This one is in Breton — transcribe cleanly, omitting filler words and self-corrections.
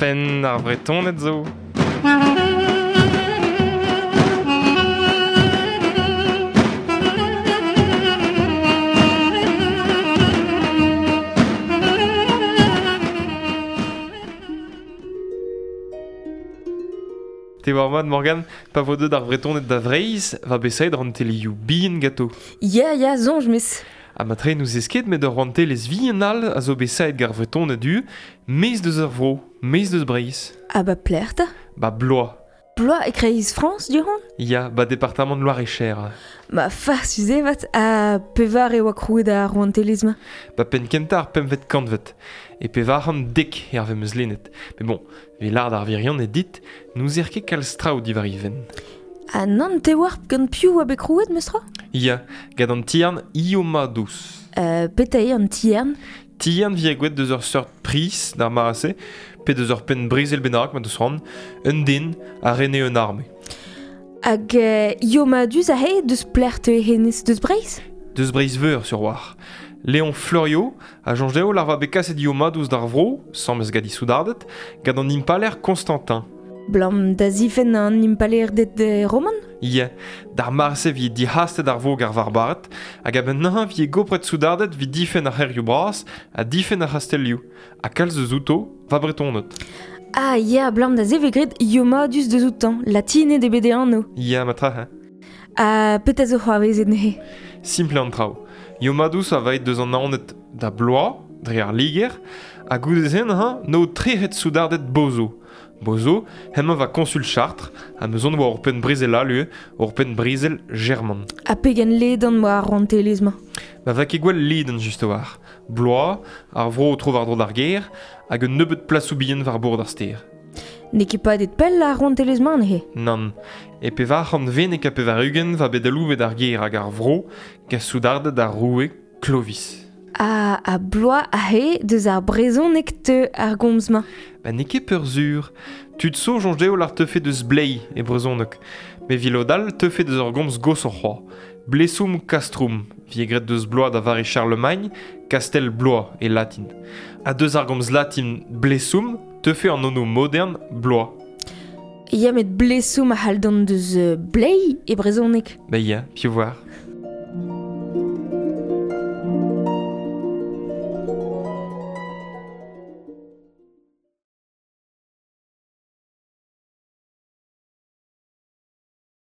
Penn ar Vretoned zo. Te war mat, Morgan, pa vo deuet ar Vretoned da Vreizh, va besaet rantelioù bihan ganto. Ya, ya, soñj 'meus. Ha matre n'ouzez ket met ur rouantelezh vihan all a zo bet saet gant ar Vretoned du, maez deus ar vro, maez deus Breizh. Ha ba pelec'h 'ta? Ba Blois. Blois e-kreiz Frañs du-hont? Ya, ba departamant Loir-et-Cher. Ma farsus eo 'vat, ha pevar e oa krouet ar rouantelezh-mañ? Ba penn-kentañ ar pempvet kantved. E 410 hervez 'm eus lennet. Met bon, evit lâret ar wirionez dit, n'ouzer ket kalz traoù diwar he fenn. Ha nann, te oar gant piv oa bet krouet, meus-tra? Ya, gant an tiern Iomadous. Petra eo an tiern? Tiern vije gwelet deus ur seurt priz d'ar mare-se, pe deus ur penn brezel bennak ma deus c'hoant, un den a rene un arme. Hag Iomadus aze, deus pelec'h teue hennezh deus Breizh? Deus Breizh-Veur, sur war. Léon Fleuriot a soñj dezho larva bet kaset Iomadous d'ar vro, sames gant he soudarded, gant an impalaer Constantin. Blam da zifenn an impalaerded roman? Ya, d'ar mare-se 'vije dic'hastet ar vog ar varbared, hag a-benn neuze 'vije gopret soudarded 'vit difenn ar c'hêrioù bras ha difenn ar c'hastellioù, ha kalz eus outo va Bretoned. Ah ya, blam da se 'vez graet Iomadus deus outañ, latined eo bet e anv. Ya, matra, hein. Ha petra zo c'hoarvezet neuze? Simpl eo an traoù. Iomadus a va aet deus an Naoned da Blois, dre ar Liger, ha goude-se neuze 'no trec'het soudarded Bozo. Bozo, hemañ va konsul Chartres, ha 'meus on oa ur penn brezel all ivez, ur penn brezel german. Ha pegen ledan 'oa ar rouantelezh-mañ? Ma va ket gwall ledan just a-walc'h. Bloaz, ar vro tro-war-dro d'ar gêr, hag un nebeud plasoù bihan war bord ar stêr. N'eo ket padet pell ar rouantelezh-mañ neuze? Nann. E 490 va bet aloubet ar gêr hag ar vro gant soudarded ar roue Clovis. Ha, ha bloaz aze deus ar brezhoneg teu ar gomz-mañ. Ba n'eo ket peurzur. Tud zo soñj dezho lar teufe deus bleiz e brezhoneg. Met evit lod all teufe deus ur gomz goshoc'h c'hoazh. Blesum castrum, vije graet deus Blois da vare Charlemagne, kastell Blois e latin. Ha deus ar gomz latin blesum teufe an anv modern Blois. Ya, met blesum a c'hall dont deus bleiz e brezhoneg. Ba ya, piv 'oar.